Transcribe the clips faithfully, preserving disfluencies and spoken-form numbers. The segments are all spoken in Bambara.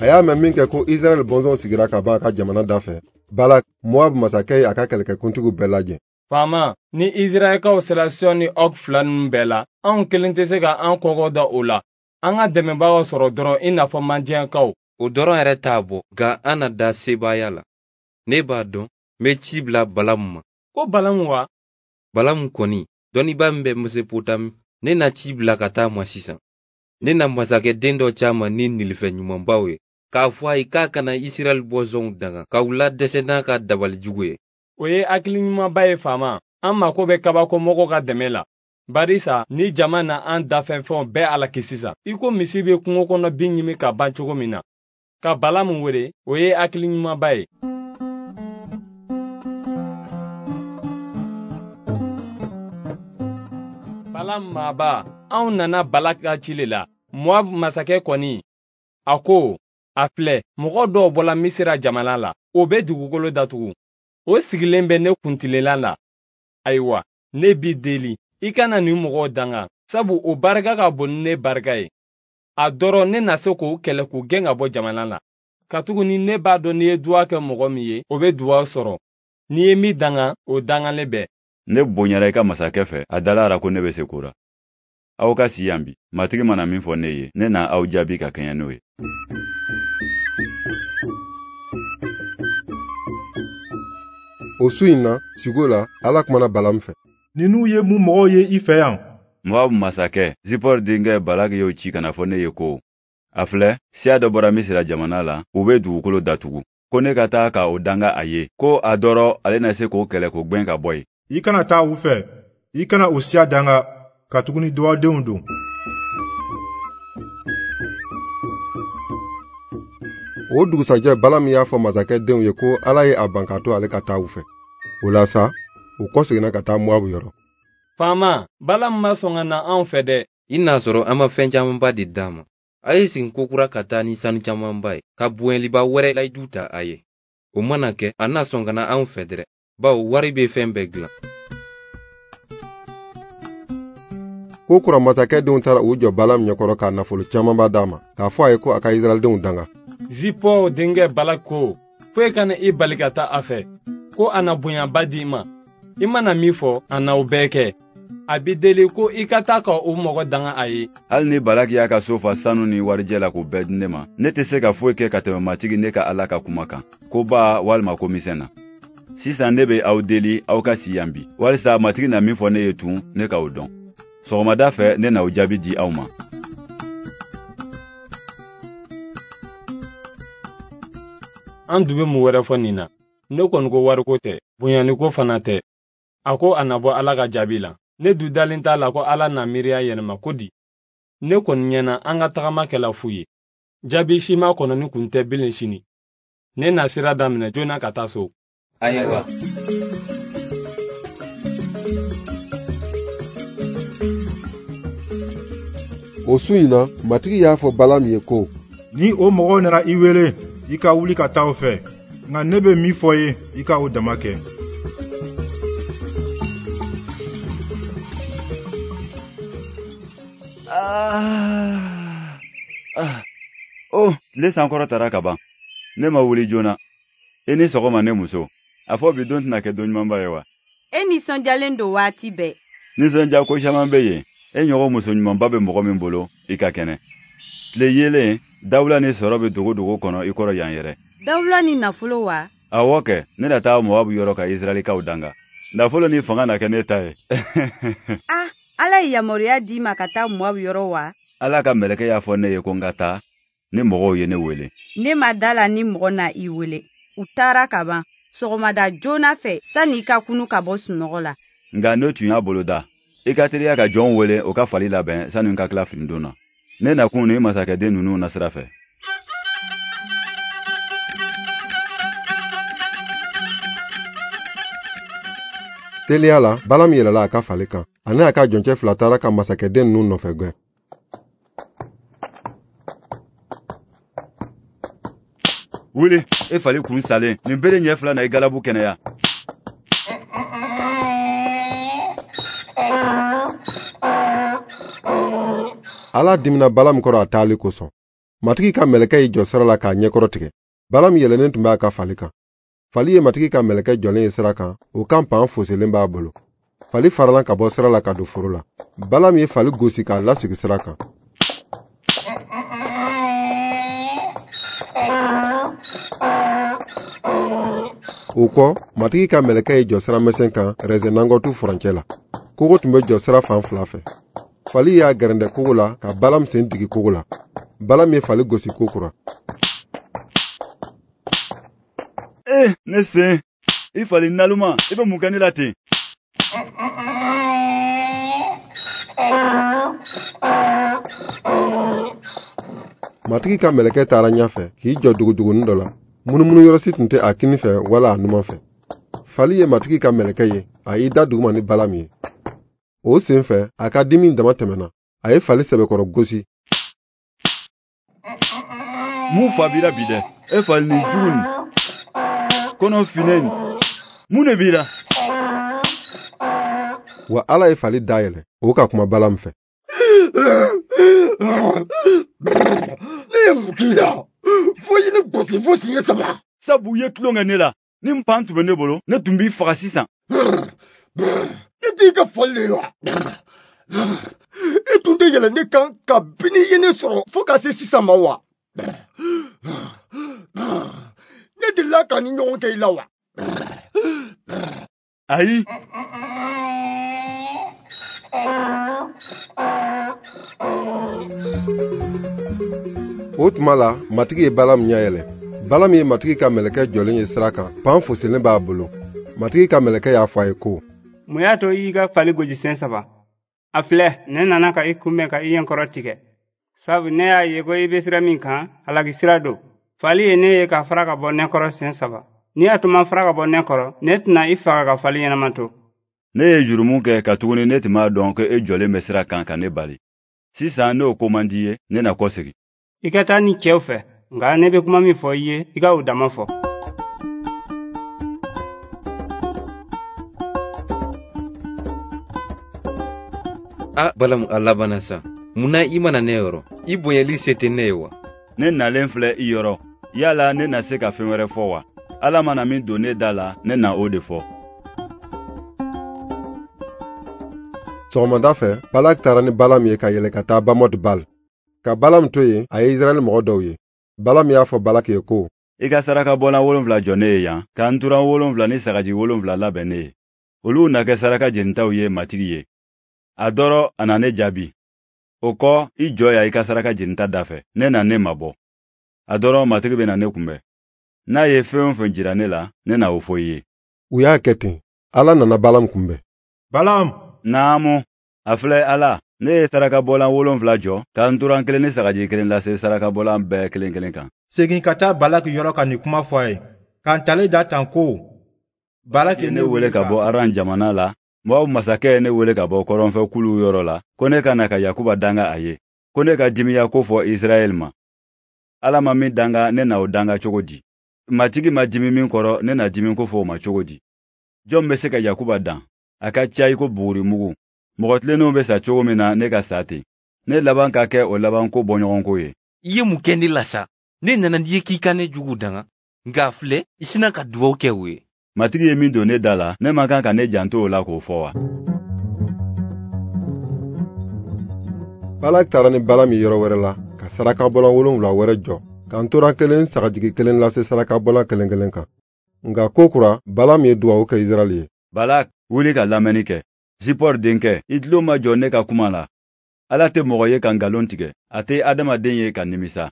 A y'a mɛn min kɛ ko Israɛl bɔnsɔnw sigira ka ban a ka jamana da fɛ, Balak, Moab masakɛ ye a ka kɛlɛkɛkuntigiw bɛɛ lajɛ. Faama, ni Israɛlkaw sera Sion ni Og fila ninnu bɛɛ la, anw kelen tɛ se ka an kɔkɔ da o la. An ka dɛmɛbagaw sɔrɔ dɔrɔn i n'a fɔ Madiyankaw. O dɔrɔn yɛrɛ t'a bɔ, nka an na da sebaaya la. Ne b'a dɔn, n bɛ ci bila Balamu ma. Ko Balamu wa? Balamu kɔni, dɔnnibaa min bɛ Mesopotami, ne na ci bila ka taa ma sisan. Ne na masakɛ den dɔ ci a ma ni nilifɛn ɲumanbaw ye, k'a fɔ a ye k'a kana Israɛl bɔnsɔnw danga, k'u ladɛsɛ n'a ka dabali jugu ye. O ye hakili ɲumanba ye faama. An mako bɛ kabakomɔgɔw ka dɛmɛ la. Barisa ni jama na an dafɛnfɛnw bɛɛ alaki sisan, i ko misi bɛ kungo kɔnɔ bin ɲimi ka ban cogo min na. Ka Balamu wele, o ye hakili ɲumanba ye. Balamu maaba, anw nana Balak ka ci le la. Moab masakɛ kɔni, a ko, a filɛ, mɔgɔ dɔw bɔla Misira jamana la, o bɛ dugukolo datugu. O sigilen bɛ ne kuntilenna la. Ayiwa, ne b'i deli, i kana nin mɔgɔw danga, sabu o barika ka bon ni ne barika ye. A dɔrɔn ne na se k'o kɛlɛ k'u gɛn ka bɔ jamana la. Katuguni ne b'a dɔn n'i ye duwa kɛ mɔgɔ min ye, o bɛ duwa sɔrɔ. N'i ye min danga, o dangalen bɛ. Ne bonyara i ka masakɛ fɛ, a dala ko ne bɛ se ko la. Aw ka si yan bi, Matigi mana min fɔ ne ye, ne na aw jaabi ka kɛɲɛ n'o ye. O su in na, sugo la, Ala kumana Balamu fɛ. Ninnu ye mun mɔgɔw ye i fɛ yan? Moab masakɛ Zipɔr denkɛ Balaki y'o ci ka na fɔ ne ye ko, a filɛ, siya dɔ bɔra Misira jamana la, u bɛ dugukolo datugu. Ko ne ka taa ka o danga a ye, ko a dɔrɔ ale na se k'o kɛlɛ k'o gwɛn ka bɔ yen. I kana taa u fɛ, i kana o siya danga, katuguni duwadenw don. O dugusajɛ Balamu y'a fɔ masakɛ denw ye ko Ala ye a ban k'a to ale ka taa u fɛ. O la sa, u kɔseginna ka taa Moabu yɔrɔ. Faama, Balamu ma sɔn ka na anw fɛ dɛ. I n'a sɔrɔ an ma fɛn camanba de d'a ma. A ye segin kokura ka taa ni sanu camanba ye, ka bonyaliba wɛrɛ layidu ta a ye. O mana kɛ, a n'a sɔn ka na anw fɛ dɛrɛ, bawo wari bɛ fɛn bɛɛ dilan. Ko kura masakɛ denw taara u jɔ Balamu ɲɛkɔrɔ k'a nafolo camanba d'a ma, k'a fɔ a ye ko a ka Israɛldenw danga. Zipɔr denkɛ Balak ko, foyi kana i bali ka taa a fɛ, ko a na bonyaba di i ma. I mana min fɔ, a na o bɛɛ kɛ. A b'i deli ko i ka taa ka o mɔgɔ danga a ye. Hali ni Balaki y'a ka so fa sanu ni warijɛ la k'o bɛɛ di ne ma, ne tɛ se ka foyi kɛ ka tɛmɛ Matigi ne ka Ala ka kuma kan, ko ba walima ko misɛn na. Sisan ne bɛ aw deli aw ka si yan bi, walisa Matigi na min fɔ ne ye tun, ne k'o dɔn. Sɔgɔmada fɛ ne na o jaabi di aw ma. An dun bɛ mun wɛrɛ fɔ nin na? Ne kɔni ko wariko tɛ, bonyaniko fana tɛ. A ko a na bɔ Ala ka jaabi la. Ne du dalen t'a la ko Ala na miiriya yɛlɛma ko di. Ne kɔni ɲɛna an ka tagama kɛla fu ye. Jaabi si ma kɔnɔ ni kun tɛ bilen sini. Ne na sira daminɛ joona ka taa so. Ayiwa. O su in na, Matigi y'a fɔ Balamu ye ko, ni o mɔgɔw nana i wele, i ka wuli ka taa o fɛ, nka ne bɛ min fɔ ye, i ka o dama kɛ. Ah, ah, oh, tile sankɔrɔ tara ka ban. Ne ma wuli joona. I ni sɔgɔma ne muso. A fɔ bi don tɛna kɛ don ɲumanba ye wa? E nisɔndiyalen don waati bɛɛ. Nisɔndiya ko caman bɛ yen. E ɲɔgɔn muso ɲumanba bɛ mɔgɔ min bolo, i ka kɛnɛ. Tile yeelen, dawula ni sɔrɔ bɛ dogo dogo kɔnɔ i kɔrɔ yan yɛrɛ. Dawula ni nafolo wa? Awɔ kɛ, ne na taa Moabu yɔrɔ ka Israɛlikaw danga. Nafolo ni fanga na kɛ ne ta ye. Ah, Ala ye yamaruya d'i ma ka taa Moabu yɔrɔ wa? Ala ka mɛlɛkɛ y'a fɔ ne ye ko n ka taa, ni mɔgɔw ye ne wele. Ne ma da la ni mɔgɔ na i wele. U taara ka ban. Sɔgɔmada joona fɛ, sanni i ka kunu ka bɔ sunɔgɔ la. Nka ne tun y'a boloda. I ka teliya ka jɔnw wele o ka fali labɛn sanni n ka tila finidon na. Ne nakun ni masakɛden ninnu na sira fɛ. Teliya la, Balamu yɛlɛla a ka fali kan. A n'a ka jɔncɛ fila taara ka masakɛden ninnu nɔfɛ gɛn. Wuli, e fali kun salen, nin bere ɲɛ fila na i galabu kɛnɛya. Ala dimina Balaam kɔrɔ a taali kosɔn. Matigi ka mɛlɛkɛ y'i jɔ sira la k'a ɲɛkɔrɔ tigɛ. Balaam yɛlɛnnen tun b'a ka fali kan. Fali ye Matigi ka mɛlɛkɛ jɔlen ye sira kan, o kan pan foselen b'a bolo. Fali farala ka bɔ sira la ka don foro la. Balaam ye fali gosi k'a lasigi sira kan. O kɔ, Matigi ka mɛlɛkɛ y'i jɔ sira misɛn kan rɛzɛnangɔtu furancɛ la. Kogo tun bɛ jɔ sira fan fila fɛ. Fali y'a gɛrɛndɛ kogo la ka Balaam sen digi kogo la. Balaam ye fali gosi kokura. Eh, ne sen, i fali naloma, i bɛ mun kɛ ne la ten? Matigi ka mɛlɛkɛ taara ɲɛfɛ k'i jɔ dugudugunin dɔ la. Munumunu yɔrɔ si tun tɛ a kini fɛ wala a numan fɛ. Fali ye Matigi ka mɛlɛkɛ ye, a y'i da duguma ni Balaam ye. O sen fɛ, a ka dimi dama tɛmɛna. A ye fali sɛbɛkɔrɔ gosi. Mun fa b'i la bi dɛ? E fali nin jugu nin, kɔnɔ finnen nin, mun de b'i la? Wa Ala ye fali dayɛlɛ, o ka kuma Balaam fɛ. Ne ye mun k'i la? Fo i ne gosi fo siɲɛ saba. Sabu i ye tulon kɛ ne la. Ni npan tun bɛ ne bolo, ne tun b'i faga sisan. Ne t'i ka fali de ye wa? E tun tɛ yɛlɛ ne kan kabini i ye ne sɔrɔ fo ka se sisan ma wa? Ne delila ka ni ɲɔgɔn kɛ i la wa? Ayi. O tuma la, Matigi ye Balaam ɲɛ yɛlɛ. Balaam ye Matigi ka mɛlɛkɛ jɔlen ye sira kan, pan fosilen b'a bolo. Matigi ka mɛlɛkɛ y'a fɔ a ye ko: Mun y'a to i y'i ka fali gosi sen saba? A filɛ, ne nana ka i kunbɛn ka i ɲɛkɔrɔ tigɛ. Sabu ne y'a ye ko i bɛ sira min kan, halaki sira don. Fali ye ne ye ka fara ka bɔ ne kɔrɔ sen saba. N'i y'a to ma fara ka bɔ ne kɔrɔ, ne tɛna i faga ka fali ɲɛnama to. Ne ye jurumu kɛ katuguni ne tun b'a dɔn ko e jɔlen bɛ sira kan ka ne bali. Sisan n'o ko man di i ye, ne na kɔsegin. I ka taa ni cɛw fɛ, nka ne bɛ kuma min fɔ i ye, i ka o dama fɔ. A Balaam, a labanna sa. Mun na i mana ne yɔrɔ? I bonyali se tɛ ne ye wa? Ne nalen filɛ i yɔrɔ. Yala ne na se ka fɛn wɛrɛ fɔ wa? Ala mana min don ne da la, ne na o de fɔ. Sɔgɔmada fɛ, Balak taara ni Balaam ye ka yɛlɛ ka taa Bamɔt Bal. Ka Balaam to yen, a ye Israɛl mɔgɔ dɔw ye. Balaam y'a fɔ Balak ye ko: I ka saraka bɔlan wolonfila jɔ ne ye yan, ka nturan wolonfila ni sagaji wolonfila labɛn ne ye. Olu na kɛ saraka jenitaw ye Matigi ye. A dɔrɔ a na ne jaabi. O kɔ, i jɔ yan i ka saraka jenita da fɛ, ne na ne mabɔ. A dɔrɔ Matigi bɛ na ne kunbɛn. N'a ye fɛn o fɛn jira ne la, ne na o fɔ i ye. U y'a kɛ ten. Ala nana Balaam kunbɛn. Balaam! Naamu, a filɛ Ala, ne ye saraka bɔlan wolonfila jɔ, ka nturan kelen ni sagaji kelen lase saraka bɔlan bɛɛ kelen kelen kan. Segin ka taa Balaki yɔrɔ ka nin kuma fɔ a ye. Ka ntalen da tan ko: Balaki ye ne wele ka bɔ Aran jamana la. Moab masakɛ ye ne wele ka bɔ kɔrɔnfɛ kuluw yɔrɔ la, ko ne ka na ka Yakuba danga a ye, ko ne ka dimiya ko fɔ Israɛl ma. Ala ma min danga, ne na o danga cogo di? Matigi ma dimi min kɔrɔ, ne na dimi ko fɔ o ma cogo di? Jɔn bɛ se ka Yakuba dan? A ka ca i ko bugurimugu. Mɔgɔ tilennenw bɛ sa cogo min na, ne ka sa ten. Ne laban ka kɛ o laban ko bɔɲɔgɔnko ye. I ye mun kɛ ne la sa? Ne nana n'i ye k'i ka ne jugu danga, nka filɛ, i sina ka dugawu kɛ o ye. Matigi ye min don ne da la, ne man kan ka ne janto o la k'o fɔ wa? Balak taara ni Balaam ye yɔrɔ wɛrɛ la, ka saraka bɔlan wolonwula wɛrɛ jɔ, ka ntoran kelen sagajigi kelen lase saraka bɔlan kelen kelen kan. Nka ko kura, Balaam ye dugawu kɛ Israɛl ye. Balak, wuli ka lamɛnni kɛ. Zipɔr denkɛ, i tulo ma jɔ ne ka kuma la. Ala tɛ mɔgɔ ye ka nkalon tigɛ, a tɛ adamaden ye ka nimisa.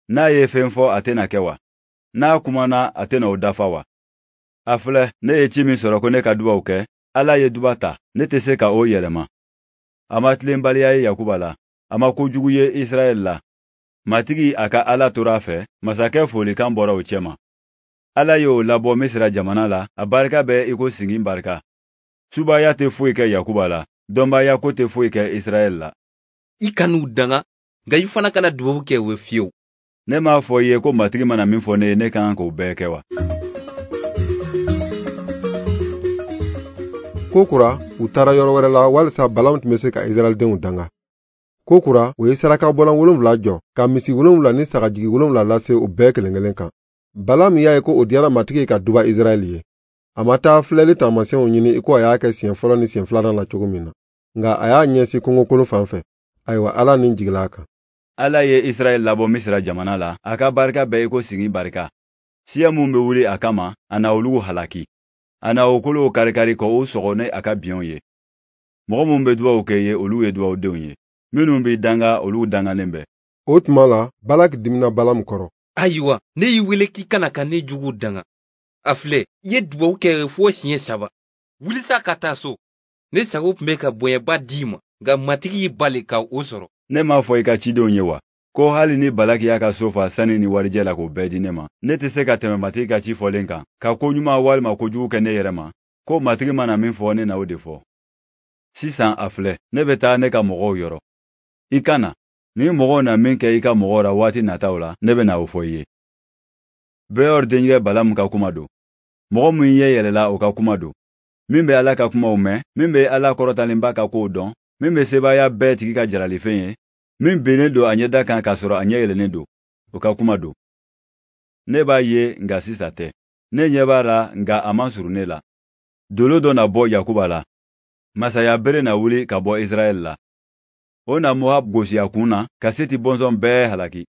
N'a ye fɛn fɔ, a tɛna kɛ wa? N'a kumana, a tɛna o dafa wa? A filɛ, ne ye ci min sɔrɔ ko ne ka dubaw kɛ, Ala ye duba ta, ne tɛ se ka o yɛlɛma. A ma tilenbaliya ye Yakuba la, a ma kojugu ye Israɛl la. Matigi a ka Ala tora a fɛ, masakɛ folikan bɔra o cɛma. Ala y'o labɔ Misira jamana la, a barika bɛ i ko singin barika. Subaya tɛ foyi kɛ Yakuba la, dɔnbaaya ko tɛ foyi kɛ Israɛl la. I kan'u danga, nka i fana kana dubabu kɛ o ye fiyewu. Ne m'a fɔ i ye ko Matigi mana min fɔ ne ye, ne ka kan k'o bɛɛ kɛ wa? Ko kura, u taara yɔrɔ wɛrɛ la walisa Balaam tun bɛ se ka Israɛldenw danga. Ko kura, o ye sarakabɔlan wolonwula jɔ, ka misi wolonwula ni sagajigi wolonwula lase u bɛɛ kelen-kelen kan. Balamu y'a ye ko o diyara Matigi ye ka duba Israɛl ye. A ma taa filɛli taamasiyɛnw ɲini i ko a y'a kɛ siɲɛ fɔlɔ ni siɲɛ filanan la cogo min na. Nka a y'a ɲɛsin kungokolon fan fɛ. Ayiwa, Ala ni jigila a kan. Ala ye Israɛl labɔ Misira jamana la, a ka barika bɛɛ i ko sigi barika. Siya mun bɛ wuli a kama, a na olu halaki. A na o kolow karikari ka o sɔgɔ ni a ka biɲɛw ye. Mɔgɔ minnu bɛ dugawu kɛ ye, olu ye dugawudenw ye. Minnu b'i danga, olu dangalen bɛ. O tuma la, Balaki dimina Balamu kɔrɔ. Ayiwa, ne y'i wele k'i kana ka ne jugu danga. A filɛ, i ye dugawu kɛ fo siɲɛ saba. Wuli sa ka taa so. Ne sago tun bɛ ka bonyaba d'i ma, nka Matigi y'i bali ka o sɔrɔ. Ne m'a fɔ i ka cidenw ye wa, ko hali ni Balaki y'a ka so fa sani ni warijɛ la k'o bɛɛ di ne ma, ne tɛ se ka tɛmɛ Matigi ka ci fɔlen kan, ka ko ɲuman walima ko jugu kɛ ne yɛrɛ ma, ko Matigi mana min fɔ, ne na o de fɔ. Sisan a filɛ, ne bɛ taa ne ka mɔgɔw yɔrɔ. I ka na, ni mɔgɔw na min kɛ i ka mɔgɔw la waati nataw la, ne bɛ na o fɔ i ye. Beor denkɛ Balamu ka kuma don. Mɔgɔ min ɲɛ yɛlɛla o ka kuma don. Min bɛ Ala ka kumaw mɛn, min bɛ Ala kɔrɔtalenba ka kow dɔn, min bɛ sebaaya bɛɛ tigi ka jalifɛn ye, min binnen don a ɲɛda kan k'a sɔrɔ a ɲɛ yɛlɛlen don, o ka kuma don. Ne b'a ye nka sisan tɛ. Ne ɲɛ b'a la nka a man surun ne la. Dolo dɔ na bɔ Yakuba la. Masaya bere na wuli ka bɔ Israɛl la. O na Moab gosi a kun na ka Seti bɔnsɔn bɛɛ halaki.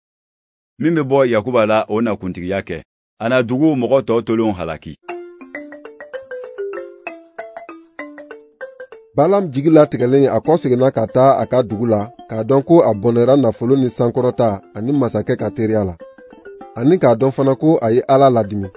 Min bɛ bɔ Yakuba la, o na kuntigiya kɛ. A na dugu mɔgɔ tɔ tolenw halaki. Balam jigi latigɛlen a kɔseginna ka taa a ka dugu la k'a dɔn ko a bɔnɛra nafolo ni sankɔrɔta ani masakɛ ka teriya la, ani k'a dɔn fana ko a ye Ala ladimi.